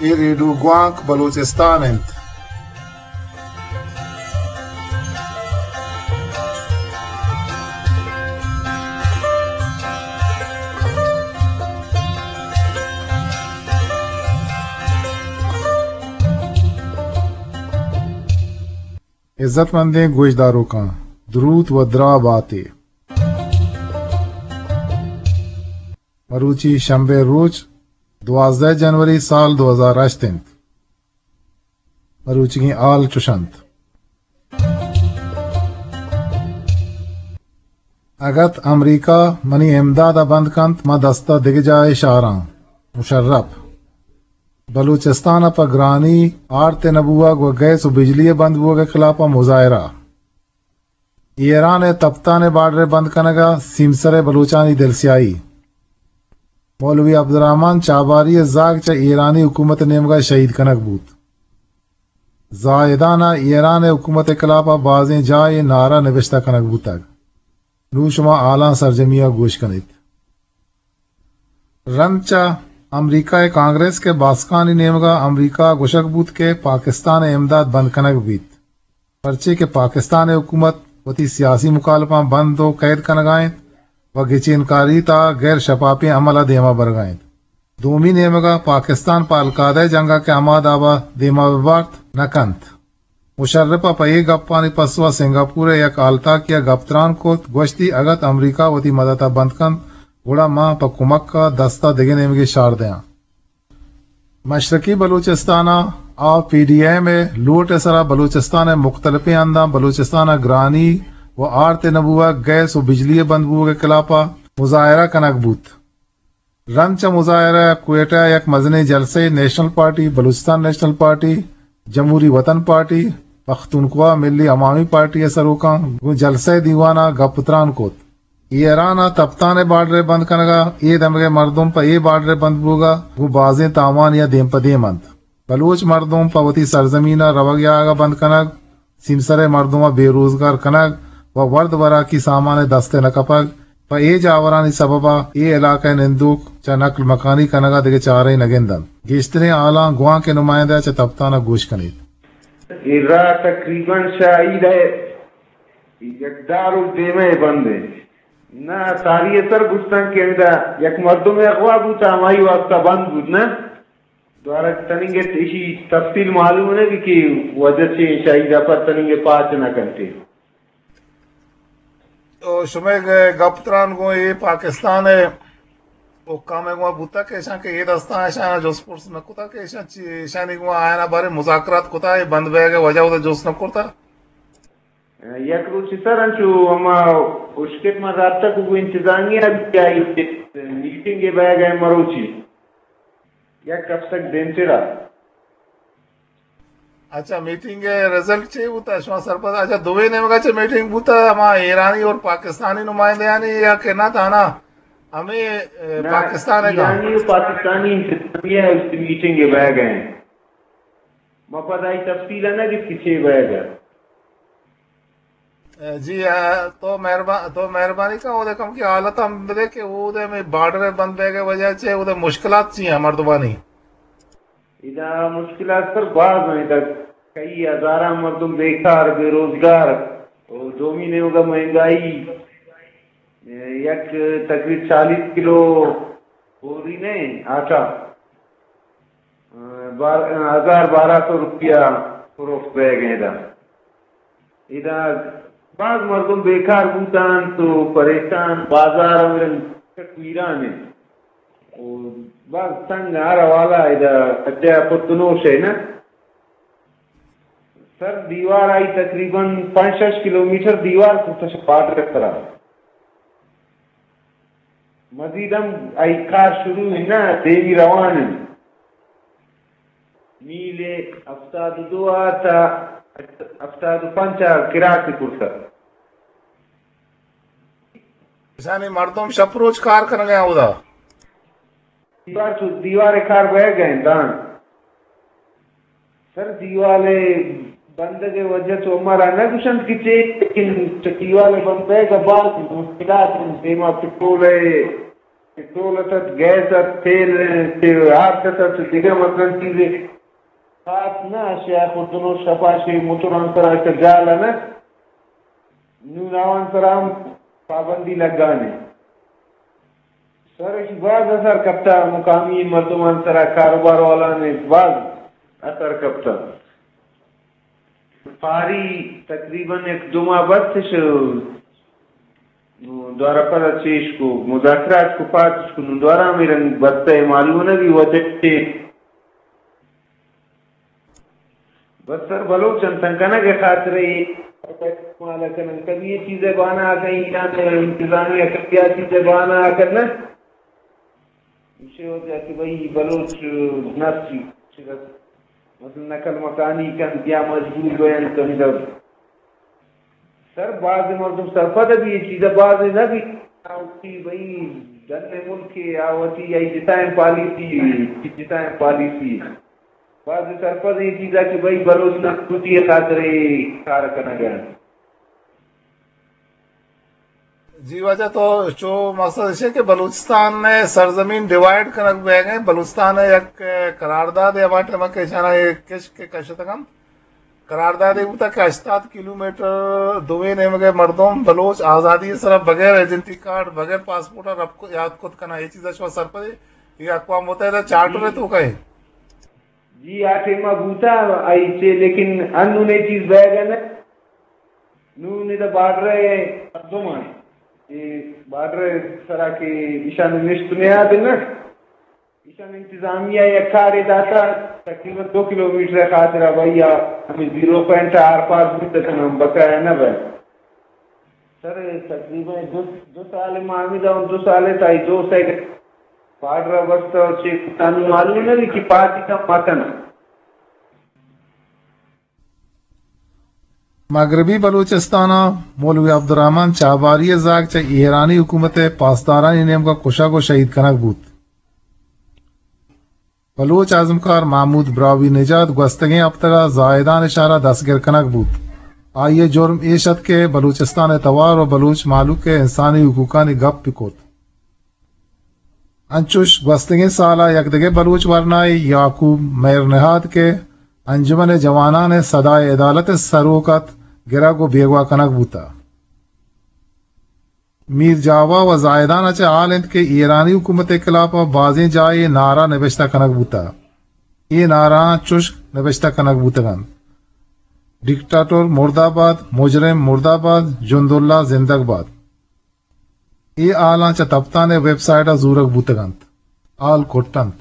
اے ریڈیو گوانک بلوچستان انت۔ عزت مندیں گوشداروکاں، دروت و دراہ باتے۔ مروچی شمبے روچ، دوازدہ جنوری سال دو ہزار ہشت انت۔ مروچیگیں حال چش انت۔ اگت امریکہ منی امداد ء بند کنت، ما دست ء دگہ جاہے شاراں۔ مشرف۔ بلوچستان ء پہ گرانی، آرت ء نہ بوگ و گیس و بجلی ء بند بوگ ء خلاف ء مظاہرہ۔ ایران ء تپتان ء بارڈر ء بند کنگ ء سیمسر ء بلوچانی دلسیاہی۔ مولوی عبدالرحمن چابہاری ء زاگ چہ ایرانی حکومت ء نیمگ ء شہید کنگ بوت۔ زاہدان ء ایران ء حکومت ء خلاف ء بازیں جاہے نعرہ نبشتہ کنگ بوتگ۔ نوں شما حالاں سرجمی ء گوش کن ات۔ رند چہ امریکہ ء کانگریس کہ باسکانی نیمگ ء امریکہ ء گوشگ بوت کہ پاکستان ء امداد بند کنگ بیت، پرچے کہ پاکستان ء حکومت وتی سیاسی مخالفاں بند و قید کنگ ء انت و گچین کاری تا غیر شفافیں عمل ء دیما برگ ء انت۔ دومی نیمگ ء پاکستان پہ القاعدہ ء جنگ ء کہ ہما داب ء دیما بہ بارت نہ کنت۔ مشرف ء پہ اے گپانی پسو ء سنگاپور ء یک ہالتاکے ء گپ تران کت، گوشتی اگت امریکہ وتی مدد ء بند کنت، گڑا ما پہ کمک ء دست ء دگہ نیمگے شار دیاں۔ مشرقی بلوچستان ء آ پی ڈی ایم ء لوٹ ء سرا بلوچستان ء مختلفیں ہنداں بلوچستان ء گرانی و آرت ء نہ بوگ، گیس و بجلی ء بند بوگ ء خلاف ء مظاہرہ کنگ بوت۔ رند چہ مظاہرہ ء کوئٹہ ء یک مزنیں جلسہ ء نیشنل پارٹی، بلوچستان نیشنل پارٹی، جمہوری وطن پارٹی، پختونخوا ملی عوامی پارٹی ء سروکاں گوں جلسہ ء دیوان ء گپ تران کت۔ ایران ء تپتان ء بارڈر ء بند کنگ ء اے دمگ ء مردم پہ اے بارڈر ء بند بوگ ء گوں بازیں تاوانی ء دیم پہ دیم انت۔ بلوچ مردم پہ وتی سرزمین ء روگ ء آگ ء بند کنگ، سیمسر ء مردم ء بے روزگار کنگ و ورد وراکی سامان ء دست ء نہ کپگ، پہ اے جاورانی سبب ء اے علاقہ ء نندوک چہ نقل مکانی کنگ ء دگہ چارہ ء نہ گند انت۔ گیشتریں حالاں گوانک ء نمائندہ چہ تپتان ء گوش کن ایت۔ اے راہ تقریباً شاہید ء یک دار و دیمہ ء بند انت۔ نہ، ساری ء سر گوشتن کہ ہمدا یک مردمے اغوا بوت، ہمائی واسطہ بند بوت، نہ؟ دوارہ تننگ ء ایشی تفصیل معلوم نہ بی کہ وجہ چے شاہید ء پر تننگ ء پاچ نہ کنتے۔ تو شمئے گ-، گپ تران گوں اے پاکستان ء حکام ء گوں بوتگ کہ ایشاں کہ اے دستاں ایشاں جست پرس نہ کتگ کہ ایشاں چی، ایشانی گوں آیانا بارے مذاکرات کتگ، اے بند بیگ ء وجہ ودا جست نہ کرتگ؟ یک روچے سر انچو ہما اشکت من رابطہ کو گوں انتظامیہ بی آئی میٹنگ ء بیگ ء مروچی یک ہفتگ دیمترا۔ اچھا، میٹنگ ء رزلٹ چے بوتا؟ شما سرپد؟ اچھا، دوئیں نیمگا چہ میٹنگ بوتا، ہما ایرانی اور پاکستانی نمائندیانی یا کہ نہ تھا نا؟ ہمیں، اے، نہ، پاکستان ء ایرانی و پاکستانی انتظامیہ میٹنگ ء بیگ ء۔ ما پدا ای تفصیل ء نہ گت کہ چے بیگ ء۔ جی، آ، تو مہربان، تو مہربانی کن، اودے کم کی حالت ہم بدے کہ اودے میں بارڈر بند بیگ ء وجہ چے، اودے مشکلات چی ہیں مردمانی؟ ادا مشکلات سر باز ہیں، ادا کئی ہزاراں مردم بیکار، بے روزگار، اور دومی نیمگا مہنگائی، یک تقریب چالیس کلو بوری نے آٹا، بار-، ہزار بارہ سو روپیہ فروخت بیگ ادا۔ ادا باز مردم بیکار بوتان تو پریشان، بازار ہم چک ویران ہے۔ او باز تنگ ہر حوالہ ادا کجا پتنوش ہے نا۔ سر دیوار آئی تقریباً پنچ شش کلومیٹر دیوار کو تش پاٹ رکھ کرا۔ مزید ہم آئی کار شروع ہے نا، دیمی روان ہے۔ میل ہفتاد و دو آ تا ہفتاد و پنچ آ کراک کرتا۔ اشانی مردم شپ روچ کار کنگ ء اودا۔ دیوار چو، دیوار کار بہ گئے دان۔ سر دیوال بندگ وجہ تو ہمارا نہ گوشنت کہ چے، لیکن چہ دیوال بند بہ گا بعد مشکلات ہیں، دیما پٹرول ہے، پٹرول ات، گیس ات، تیل، آرت ات، دگہ مثلاً چیزے خاص نہ، شیخ الدنو شپا شی موتران سرا کہ جال نہ، نون آوان سرا ہم پابندی لگانے۔ سر، اش باز اثر کپتا، مقامی مردمان سرا، کاروبار والان باز اثر کپتا۔ پاری تقریباً یک دو ماہ بستش، نو دوارہ پدا چیش کو، مذاکرات کو، پاتش کو، نو دوارہ ہمے رنگ بستہ، معلوم نہ بی وجہ چے۔ بس سر، بلوچ انتن کنگ ء خاطر ء استعمال کنن، کبھی یہ چیزیں بہانہ آ کہیں ایران انتظامیہ کبھی یہ چیزیں بہانہ آ کرنا۔ ایشی وجہ کہ بھئی بلوچ نفسی چگس مثلاً نقل مکانی کن یا مجبور بین کن در۔ سر، باز مردم سرپد بی، یہ چیزا باز نہ بی۔ آوتی بھئی ڈن ملک آوتی یا جتائیں پالیسی، جتائیں پالیسی۔ باز سرپد یہ چیزا کہ بھئی بلوچ نفسی خاطر کار کنگا۔ جی واجہ، تو چو مقصد اش کہ بلوچستان ء سرزمین ڈیوائیڈ کنگ بیگ ء، بلوچستان ء یک قرارداد ء ہما ٹائم کہ ایشانا کشک کشتگ انت، قرارداد ء بوتا کہ ہشتاد کلومیٹر دوئیں نیمگ ء مردم بلوچ آزادی ء سرا بغیر ایڈنٹی کارڈ، بغیر پاسپورٹ ء رب کو-، یاد کت کناں۔ یہ چیزا شما سرپد ء، یہ اقوام متحدہ چارٹر ء توکا ہے۔ جی، آ ٹائما بوتا آئی چے، لیکن انون یہ چیز بیگ ء نہ۔ نون ادا بارڈر ء مردم آں، اے بارڈر ء سرا کہ ایشان نشت نیاد نہ، ایشان انتظامیہ یک کارے داتا، تقریباً دو کلومیٹر ء خاطر ء بھائی آ ہمیں زیرو پوائنٹ آر پاس بوت کناں، بقایا نہ بہ۔ سر، تقریباً دو، دو سال ما ہمیں دا، دو سال ء تائی دو سیکنڈ بارڈر ء بستہ اور چیک تانوں معلوم نہ بی کہ پارٹی کا متن۔ مغربی بلوچستان ء مولوی عبدالرحمن چابہاری ء زاگ چہ ایرانی حکومت ء پاسدارانی نیمگ ء کشگ ء شہید کنگ بوت۔ بلوچ ازمکار محمود براہوئی نژاد گوستگیں ہپتگ ء زاہدان ء شہر ء دستگر کنگ بوت۔ آئی ء جرم ایش ات کہ بلوچستان ء توار ء بلوچ مہلوک ء انسانی حقوقانی گپ بہ کت۔ انچوش گوستگیں سال ء یک دگہ بلوچ ورنائے یعقوب مہر نہاد کہ انجمن جوانان صدائے عدالت ء سروک ات، گرگ ء بیگواہ کنگ بوتہ۔ میر جاوا و زاہدان ء چہ حال انت کہ ایرانی حکومت ء خلاف ء بازیں جاہے نعرہ نبشتہ کنگ بوتہ۔ اے نعرہاں چشک نبشتہ کنگ بوتگ انت: ڈکٹاتور مردہ باد، مجرم مردہ باد، جند اللہ زندگ باد۔ اے حالاں چہ تپتان ء ویب سائٹ ء زورگ بوتگ انت۔ حال کٹ انت۔